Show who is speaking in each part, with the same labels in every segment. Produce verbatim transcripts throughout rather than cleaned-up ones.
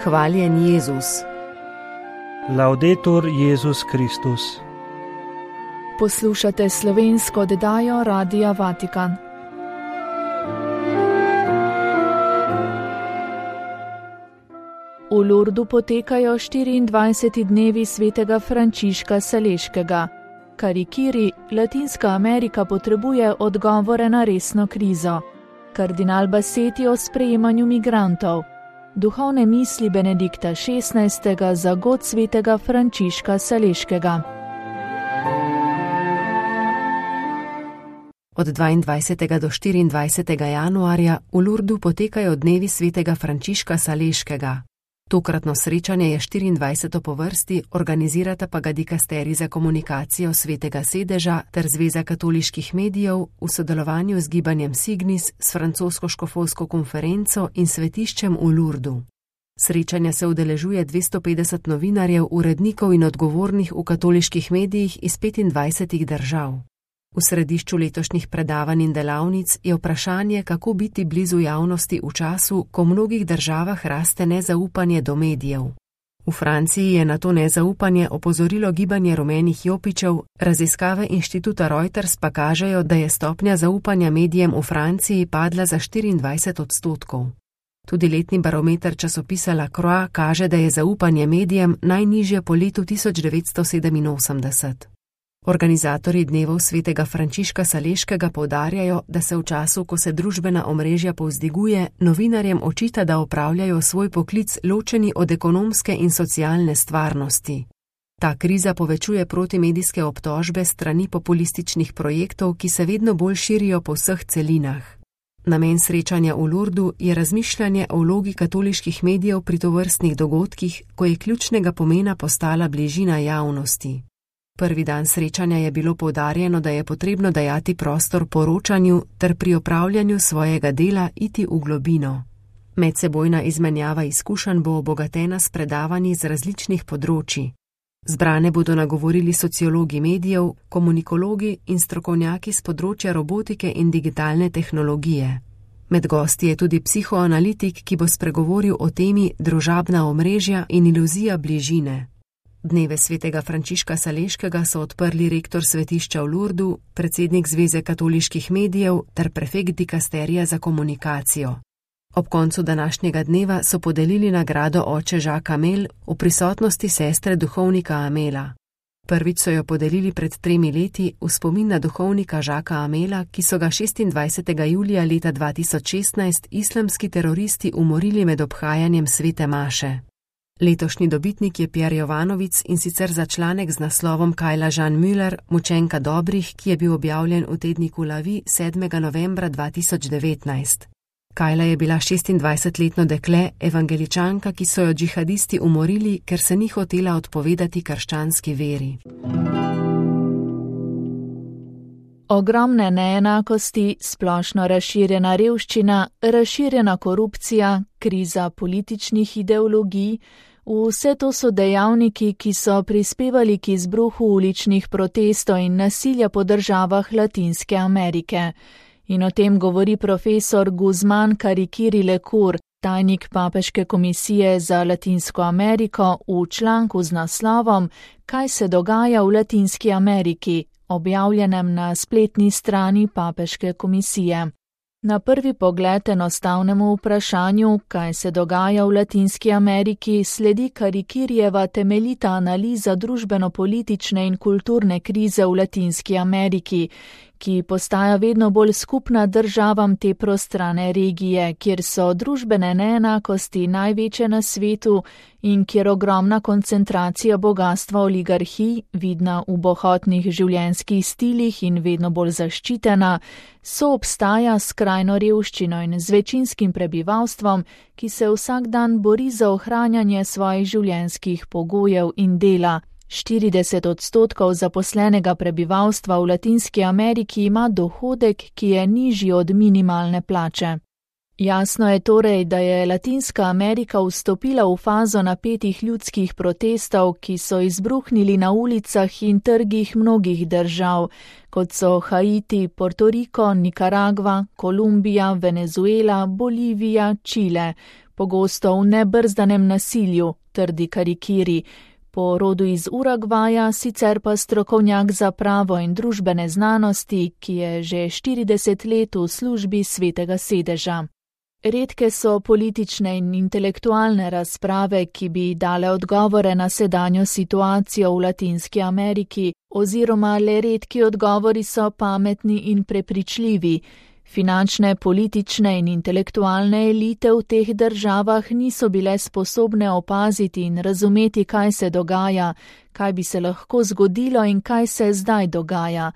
Speaker 1: Hvaljen Jezus.
Speaker 2: Laudetur Jezus Kristus.
Speaker 3: Poslušate slovensko oddajo Radia Vatikan. V Lurdu potekajo štiriindvajseti dnevi svetega Frančiška Saleškega. Karikiri, Latinska Amerika potrebuje odgovore na resno krizo. Kardinal Bassetti o sprejemanju migrantov. Duhovne misli Benedikta šestnajstega za god svetega Frančiška Saleškega.
Speaker 1: Od dvaindvajsetega do štiriindvajsetega januarja v Lurdu potekajo dnevi svetega Frančiška Saleškega. Tokratno srečanje je štiriindvajseto po vrsti, organizirata pa ga dikasterij za komunikacijo Svetega sedeža ter Zveza katoliških medijev v sodelovanju z gibanjem Signis, s francosko škofovsko konferenco in svetiščem v Lurdu. Srečanja se udeležuje dvesto petdeset novinarjev, urednikov in odgovornih v katoliških medijih iz petindvajsetih držav. V središču letošnjih predavanj in delavnic je vprašanje, kako biti blizu javnosti v času, ko v mnogih državah raste nezaupanje do medijev. V Franciji je na to nezaupanje opozorilo gibanje rumenih jopičev, raziskave inštituta Reuters pa kažejo, da je stopnja zaupanja medijem v Franciji padla za štiriindvajset odstotkov. Tudi letni barometer časopisa La Croix kaže, da je zaupanje medijem najnižje po letu tisoč devetsto sedeminosemdeset. Organizatorji dnevov svetega Frančiška Saleškega poudarjajo, da se v času, ko se družbena omrežja povzdiguje, novinarjem očita, da opravljajo svoj poklic ločeni od ekonomske in socialne stvarnosti. Ta kriza povečuje protimedijske obtožbe strani populističnih projektov, ki se vedno bolj širijo po vseh celinah. Namen srečanja v Lurdu je razmišljanje o vlogi katoliških medijev pri tovrstnih dogodkih, ko je ključnega pomena postala bližina javnosti. Prvi dan srečanja je bilo poudarjeno, da je potrebno dajati prostor poročanju ter pri opravljanju svojega dela iti v globino. Medsebojna izmenjava izkušenj bo obogatena s predavanji z različnih področji. Zbrane bodo nagovorili sociologi medijev, komunikologi in strokovnjaki z področja robotike in digitalne tehnologije. Med gosti je tudi psihoanalitik, ki bo spregovoril o temi družabna omrežja in iluzija bližine. Dneve svetega Frančiška Saleškega so odprli rektor svetišča v Lurdu, predsednik Zveze katoliških medijev ter prefekt dikasterija za komunikacijo. Ob koncu današnjega dneva so podelili nagrado oče Jacques Amel v prisotnosti sestre duhovnika Amela. Prvič so jo podelili pred tremi leti v spomin na duhovnika Jacquesa Amela, ki so ga šestindvajsetega julija leta dva tisoč šestnajst islamski teroristi umorili med obhajanjem svete maše. Letošnji dobitnik je Pierre Jovanovic, in sicer za članek z naslovom Kajla Jean Müller, Mučenka dobrih, ki je bil objavljen v tedniku La Vie sedmega novembra dva tisoč devetnajst. Kajla je bila šestindvajsetletno dekle, evangeličanka, ki so jo džihadisti umorili, ker se ni hotela odpovedati krščanski veri.
Speaker 3: Ogromne neenakosti, splošno razširjena revščina, razširjena korupcija, kriza političnih ideologij, vse to so dejavniki, ki so prispevali k izbruhu uličnih protestov in nasilja po državah Latinske Amerike. In o tem govori profesor Guzman Karikiri Lekur, tajnik Papeške komisije za Latinsko Ameriko, v članku z naslovom Kaj se dogaja v Latinski Ameriki, objavljenem na spletni strani Papeške komisije. Na prvi pogled enostavnemu vprašanju, kaj se dogaja v Latinski Ameriki, sledi Karikirijeva temeljita analiza družbeno-politične in kulturne krize v Latinski Ameriki, ki postaja vedno bolj skupna državam te prostrane regije, kjer so družbene neenakosti največje na svetu in kjer ogromna koncentracija bogatstva oligarhij, vidna v bohotnih življenjskih stilih in vedno bolj zaščitena, soobstaja s skrajno revščino in z večinskim prebivalstvom, ki se vsak dan bori za ohranjanje svojih življenjskih pogojev in dela. štirideset odstotkov zaposlenega prebivalstva v Latinski Ameriki ima dohodek, ki je nižji od minimalne plače. Jasno je torej, da je Latinska Amerika vstopila v fazo napetih ljudskih protestov, ki so izbruhnili na ulicah in trgih mnogih držav, kot so Haiti, Porto Riko, Nikaragva, Kolumbija, Venezuela, Bolivija, Čile, pogosto v nebrzdanem nasilju, trdi Karikiri, po rodu iz Urugvaja, sicer pa strokovnjak za pravo in družbene znanosti, ki je že štirideset let v službi Svetega sedeža. Redke so politične in intelektualne razprave, ki bi dale odgovore na sedanjo situacijo v Latinski Ameriki, oziroma le redki odgovori so pametni in prepričljivi. Finančne, politične in intelektualne elite v teh državah niso bile sposobne opaziti in razumeti, kaj se dogaja, kaj bi se lahko zgodilo in kaj se zdaj dogaja.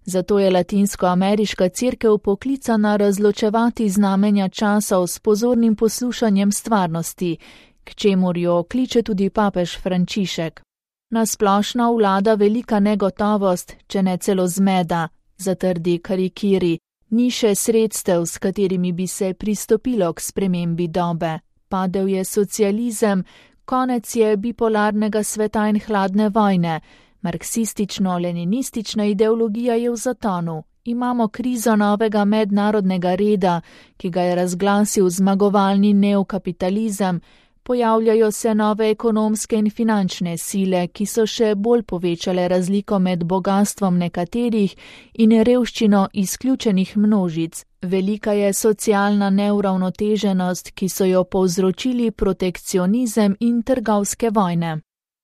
Speaker 3: Zato je latinskoameriška cerkev poklicana razločevati znamenja časov s pozornim poslušanjem stvarnosti, k čemur jo kliče tudi papež Frančišek. Na splošno vlada velika negotovost, če ne celo zmeda, zatrdi Karikiri. Ni še sredstev, s katerimi bi se pristopilo k spremembi dobe. Padel je socializem, konec je bipolarnega sveta in hladne vojne. Marksistično-leninistična ideologija je v zatonu. Imamo krizo novega mednarodnega reda, ki ga je razglasil zmagovalni neokapitalizem. Pojavljajo se nove ekonomske in finančne sile, ki so še bolj povečale razliko med bogastvom nekaterih in revščino izključenih množic. Velika je socialna neuravnoteženost, ki so jo povzročili protekcionizem in trgovske vojne.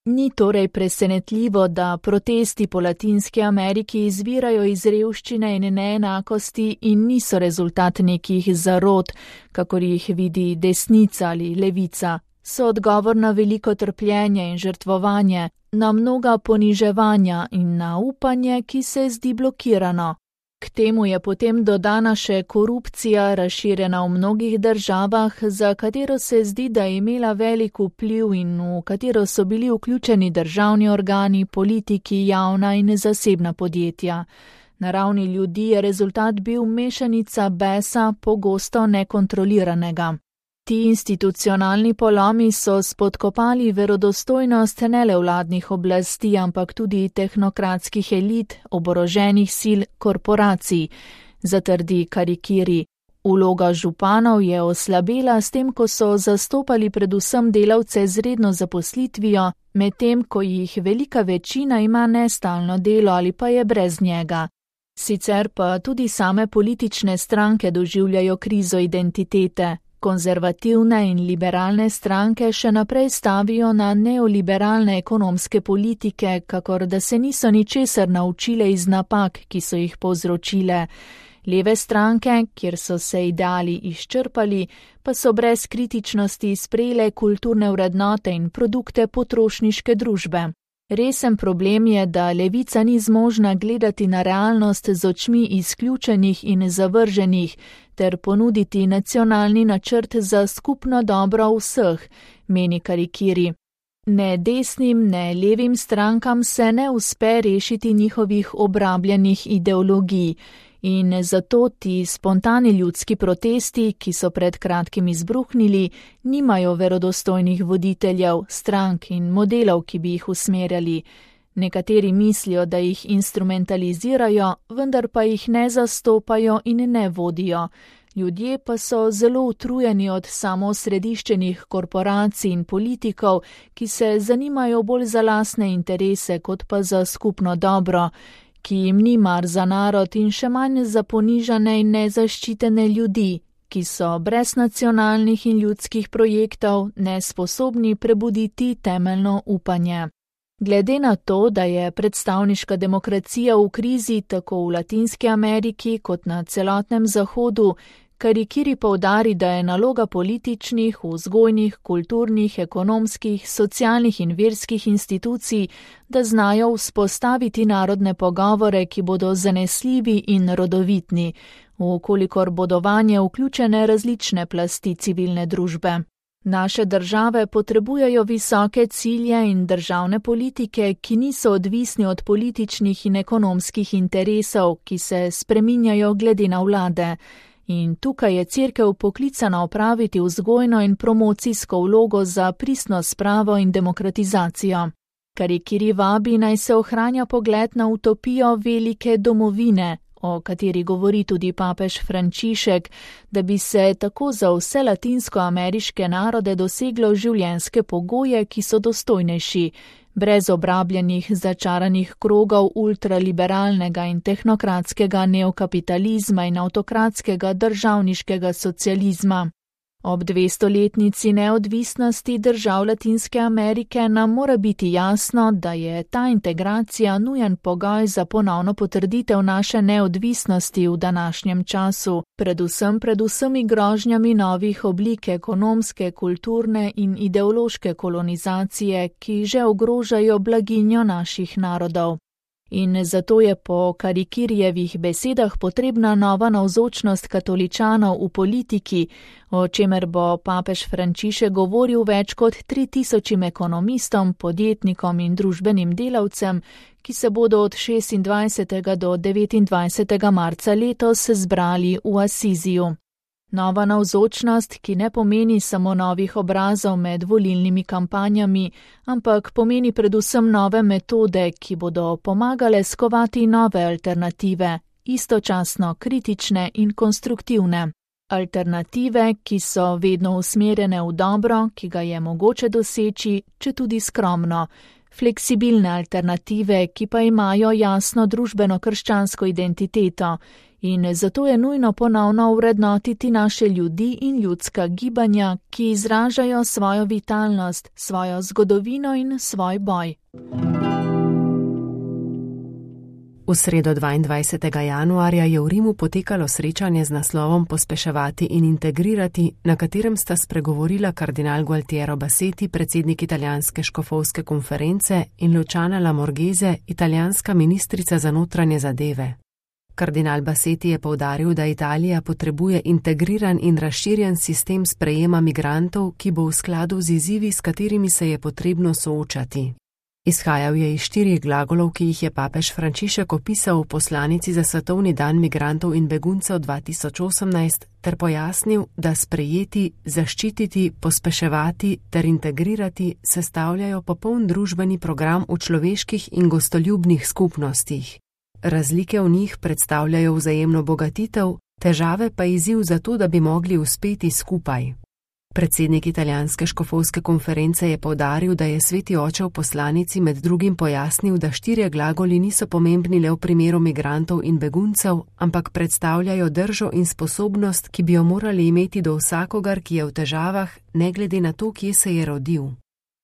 Speaker 3: Ni torej presenetljivo, da protesti po Latinski Ameriki izvirajo iz revščine in neenakosti in niso rezultat nekih zarot, kakor jih vidi desnica ali levica. So odgovor na veliko trpljenje in žrtvovanje, na mnoga poniževanja in na upanje, ki se zdi blokirano. K temu je potem dodana še korupcija, razširjena v mnogih državah, za katero se zdi, da je imela velik vpliv in v katero so bili vključeni državni organi, politiki, javna in zasebna podjetja. Na ravni ljudi je rezultat bil mešanica besa, pogosto nekontroliranega. Ti institucionalni polomi so spodkopali verodostojnost ne le vladnih oblasti, ampak tudi tehnokratskih elit, oboroženih sil, korporacij, zatrdi Karikiri. Vloga županov je oslabela s tem, ko so zastopali predvsem delavce z redno zaposlitvijo, medtem ko jih velika večina ima nestalno delo ali pa je brez njega. Sicer pa tudi same politične stranke doživljajo krizo identitete. Konzervativne in liberalne stranke še naprej stavijo na neoliberalne ekonomske politike, kakor da se niso ničesar naučile iz napak, ki so jih povzročile. Leve stranke, kjer so se ideali izčrpali, pa so brez kritičnosti sprejele kulturne vrednote in produkte potrošniške družbe. Resen problem je, da levica ni zmožna gledati na realnost z očmi izključenih in zavrženih ter ponuditi nacionalni načrt za skupno dobro vseh, meni Karikiri. Ne desnim, ne levim strankam se ne uspe rešiti njihovih obrabljenih ideologij. In zato ti spontani ljudski protesti, ki so pred kratkim izbruhnili, nimajo verodostojnih voditeljev, strank in modelov, ki bi jih usmerjali. Nekateri mislijo, da jih instrumentalizirajo, vendar pa jih ne zastopajo in ne vodijo. Ljudje pa so zelo utrujeni od samoosrediščenih korporacij in politikov, ki se zanimajo bolj za lastne interese kot pa za skupno dobro, ki jim ni mar za narod in še manj za ponižane in nezaščitene ljudi, ki so brez nacionalnih in ljudskih projektov nesposobni prebuditi temeljno upanje. Glede na to, da je predstavniška demokracija v krizi tako v Latinski Ameriki kot na celotnem Zahodu, Karikiri poudari, da je naloga političnih, vzgojnih, kulturnih, ekonomskih, socialnih in verskih institucij, da znajo vzpostaviti narodne pogovore, ki bodo zanesljivi in rodovitni, vkolikor bodo vanje vključene različne plasti civilne družbe. Naše države potrebujejo visoke cilje in državne politike, ki niso odvisni od političnih in ekonomskih interesov, ki se spreminjajo glede na vlade. In tukaj je cerkev poklicana opraviti vzgojno in promocijsko vlogo za pristno spravo in demokratizacijo. Karikiri vabi naj se ohranja pogled na utopijo velike domovine, o kateri govori tudi papež Frančišek, da bi se tako za vse latinskoameriške narode doseglo življenjske pogoje, ki so dostojnejši, brez obrabljenih začaranih krogov ultraliberalnega in tehnokratskega neokapitalizma in avtokratskega državniškega socializma. Ob dvestoletnici neodvisnosti držav Latinske Amerike nam mora biti jasno, da je ta integracija nujen pogoj za ponovno potrditev naše neodvisnosti v današnjem času, predvsem pred vsemi grožnjami novih oblik ekonomske, kulturne in ideološke kolonizacije, ki že ogrožajo blaginjo naših narodov. In zato je po Karikirjevih besedah potrebna nova navzočnost katoličanov v politiki, o čemer bo papež Frančišek govoril več kot tri tisočim ekonomistom, podjetnikom in družbenim delavcem, ki se bodo od šestindvajsetega do devetindvajsetega marca letos zbrali v Asiziju. Nova navzočnost, ki ne pomeni samo novih obrazov med volilnimi kampanjami, ampak pomeni predvsem nove metode, ki bodo pomagale skovati nove alternative, istočasno kritične in konstruktivne. Alternative, ki so vedno usmerjene v dobro, ki ga je mogoče doseči, če tudi skromno. Fleksibilne alternative, ki pa imajo jasno družbeno-krščansko identiteto. In zato je nujno ponovno ovrednotiti naše ljudi in ljudska gibanja, ki izražajo svojo vitalnost, svojo zgodovino in svoj boj.
Speaker 1: V sredo dvaindvajsetega januarja je v Rimu potekalo srečanje z naslovom Pospeševati in integrirati, na katerem sta spregovorila kardinal Gualtiero Bassetti, predsednik italijanske škofovske konference, in Luciana Lamorghese, italijanska ministrica za notranje zadeve. Kardinal Bassetti je poudaril, da Italija potrebuje integriran in razširjen sistem sprejema migrantov, ki bo v skladu z izzivi, s katerimi se je potrebno soočati. Izhajal je iz štirih glagolov, ki jih je papež Frančišek opisal v poslanici za Svetovni dan migrantov in beguncev dva tisoč osemnajst, ter pojasnil, da sprejeti, zaščititi, pospeševati ter integrirati sestavljajo popoln družbeni program v človeških in gostoljubnih skupnostih. Razlike v njih predstavljajo vzajemno bogatitev, težave pa izziv za to, da bi mogli uspeti skupaj. Predsednik italijanske škofovske konference je poudaril, da je Sveti oče v poslanici med drugim pojasnil, da štirje glagoli niso pomembni le v primeru migrantov in beguncev, ampak predstavljajo držo in sposobnost, ki bi jo morali imeti do vsakogar, ki je v težavah, ne glede na to, kje se je rodil.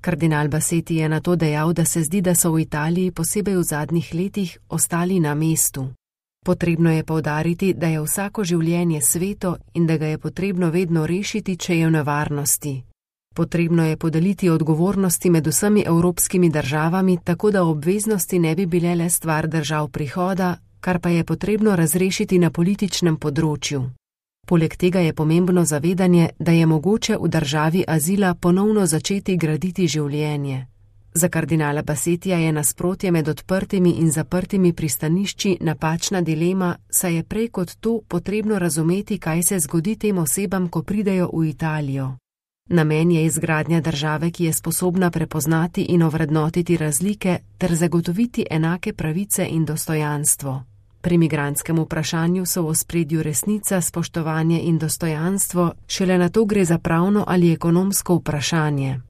Speaker 1: Kardinal Bassetti je na to dejal, da se zdi, da so v Italiji, posebej v zadnjih letih, ostali na mestu. Potrebno je poudariti, da je vsako življenje sveto in da ga je potrebno vedno rešiti, če je v nevarnosti. Potrebno je podeliti odgovornosti med vsemi evropskimi državami, tako da obveznosti ne bi bile le stvar držav prihoda, kar pa je potrebno razrešiti na političnem področju. Poleg tega je pomembno zavedanje, da je mogoče v državi azila ponovno začeti graditi življenje. Za kardinala Bassettija je nasprotje med odprtimi in zaprtimi pristanišči napačna dilema, saj je prej kot to potrebno razumeti, kaj se zgodi tem osebam, ko pridejo v Italijo. Namen je izgradnja države, ki je sposobna prepoznati in ovrednotiti razlike ter zagotoviti enake pravice in dostojanstvo. Pri migrantskem vprašanju so v ospredju resnica, spoštovanje in dostojanstvo, šele na to gre za pravno ali ekonomsko vprašanje.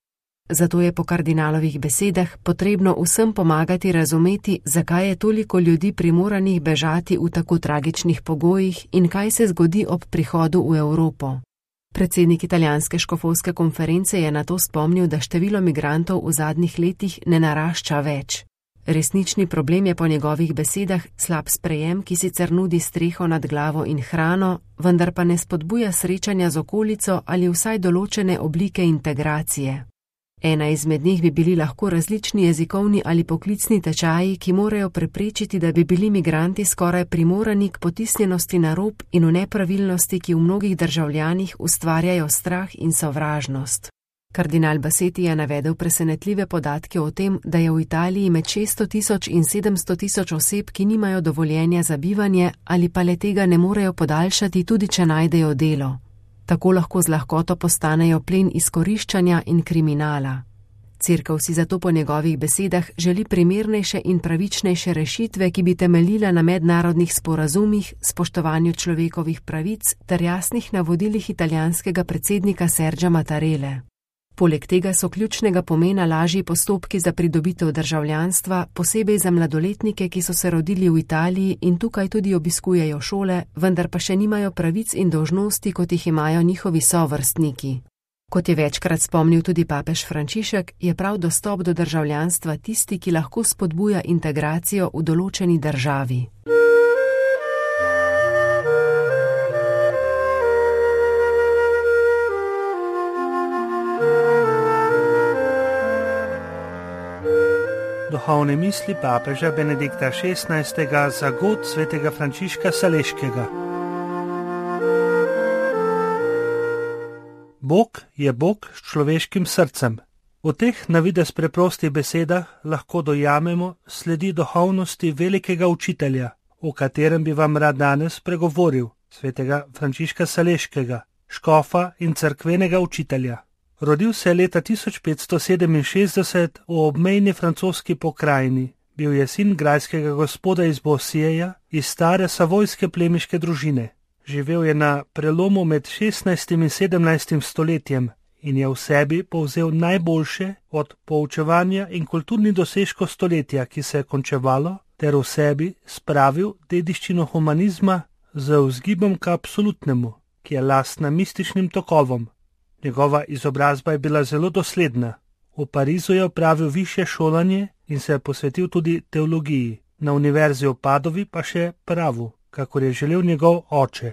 Speaker 1: Zato je po kardinalovih besedah potrebno vsem pomagati razumeti, zakaj je toliko ljudi primoranih bežati v tako tragičnih pogojih in kaj se zgodi ob prihodu v Evropo. Predsednik italijanske škofovske konference je na to spomnil, da število migrantov v zadnjih letih ne narašča več. Resnični problem je po njegovih besedah slab sprejem, ki sicer nudi streho nad glavo in hrano, vendar pa ne spodbuja srečanja z okolico ali vsaj določene oblike integracije. Ena izmed njih bi bili lahko različni jezikovni ali poklicni tečaji, ki morajo preprečiti, da bi bili migranti skoraj primorani k potisnjenosti na rob in v nepravilnosti, ki v mnogih državljanih ustvarjajo strah in sovražnost. Kardinal Bassetti je navedel presenetljive podatke o tem, da je v Italiji med šeststo tisoč in sedemsto tisoč oseb, ki nimajo dovoljenja za bivanje ali pa le tega ne morejo podaljšati, tudi če najdejo delo. Tako lahko z lahkoto postanejo plen izkoriščanja in kriminala. Cerkev si zato po njegovih besedah želi primernejše in pravičnejše rešitve, ki bi temeljila na mednarodnih sporazumih, spoštovanju človekovih pravic ter jasnih navodilih italijanskega predsednika Sergia Mattarelle. Poleg tega so ključnega pomena lažji postopki za pridobitev državljanstva, posebej za mladoletnike, ki so se rodili v Italiji in tukaj tudi obiskujejo šole, vendar pa še nimajo pravic in dolžnosti, kot jih imajo njihovi sovrstniki. Kot je večkrat spomnil tudi papež Frančišek, je prav dostop do državljanstva tisti, ki lahko spodbuja integracijo v določeni državi.
Speaker 2: Duhovne misli papeža Benedikta šestnajstega za god svetega Frančiška Saleškega. Bog je Bog s človeškim srcem. V teh na videz preprostih besedah lahko dojamemo sledi duhovnosti velikega učitelja, o katerem bi vam rad danes pregovoril, svetega Frančiška Saleškega, škofa in cerkvenega učitelja. Rodil se je leta tisoč petsto sedeminšestdeset v obmejni francoski pokrajini. Bil je sin grajskega gospoda iz Bosijeja, iz stare savojske plemiške družine. Živel je na prelomu med šestnajstim in sedemnajstim stoletjem in je v sebi povzel najboljše od poučevanja in kulturnih dosežkov stoletja, ki se je končevalo, ter v sebi spravil dediščino humanizma z vzgibom k absolutnemu, ki je lastna mističnim tokovom. Njegova izobrazba je bila zelo dosledna. V Parizu je opravil višje šolanje in se je posvetil tudi teologiji, na univerzi v Padovi pa še pravu, kakor je želel njegov oče.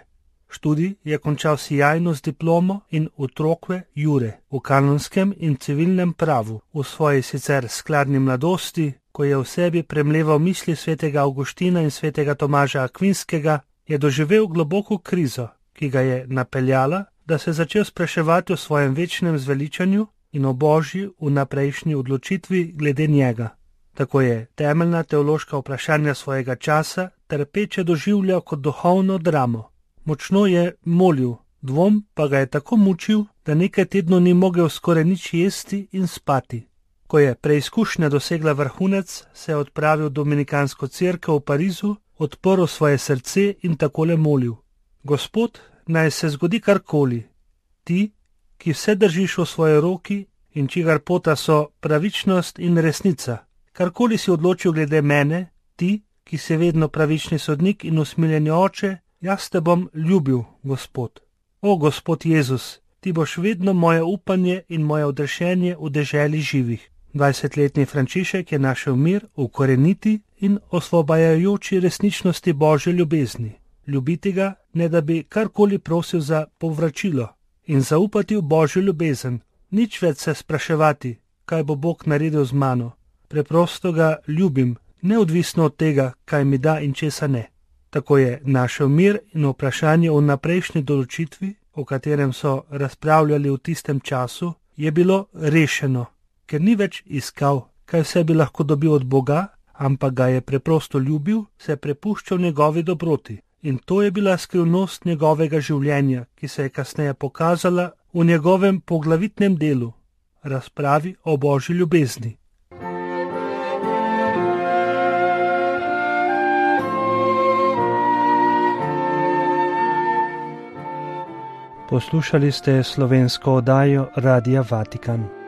Speaker 2: Študij je končal sijajno z diplomo in utrokve jure v kanonskem in civilnem pravu. V svoji sicer skladni mladosti, ko je v sebi premleval misli svetega Avguština in svetega Tomaža Akvinskega, je doživel globoko krizo, ki ga je napeljala, da se je začel spraševati o svojem večnem zveličanju in o Božji vnaprejšnji odločitvi glede njega. Tako je temeljna teološka vprašanja svojega časa trpeče doživljal kot duhovno dramo. Močno je molil, dvom pa ga je tako mučil, da nekaj tednov ni mogel skoraj nič jesti in spati. Ko je preizkušnja dosegla vrhunec, se je odpravil v dominikansko cerkev v Parizu, odprl svoje srce in takole molil: Gospod, naj se zgodi karkoli, ti, ki vse držiš v svoji roki in čigar pota so pravičnost in resnica. Karkoli si odločil glede mene, ti, ki si vedno pravični sodnik in usmiljeni oče, jaz te bom ljubil, Gospod. O, Gospod Jezus, ti boš vedno moje upanje in moje odrešenje v deželi živih. Dvajsetletni Frančišek je našel mir v koreniti in osvobajajoči resničnosti Božje ljubezni. Ljubiti ga, ne da bi karkoli prosil za povračilo, in zaupati v Božjo ljubezen, nič več se spraševati, kaj bo Bog naredil z mano. Preprosto ga ljubim, neodvisno od tega, kaj mi da in česa ne. Tako je našel mir in vprašanje o naprejšnji določitvi, o katerem so razpravljali v tistem času, je bilo rešeno, ker ni več iskal, kaj vse bi lahko dobil od Boga, ampak ga je preprosto ljubil, se je prepuščal njegovi dobroti. In to je bila skrivnost njegovega življenja, ki se je kasneje pokazala v njegovem poglavitnem delu, razpravi o Božji ljubezni. Poslušali ste slovensko oddajo Radia Vatikan.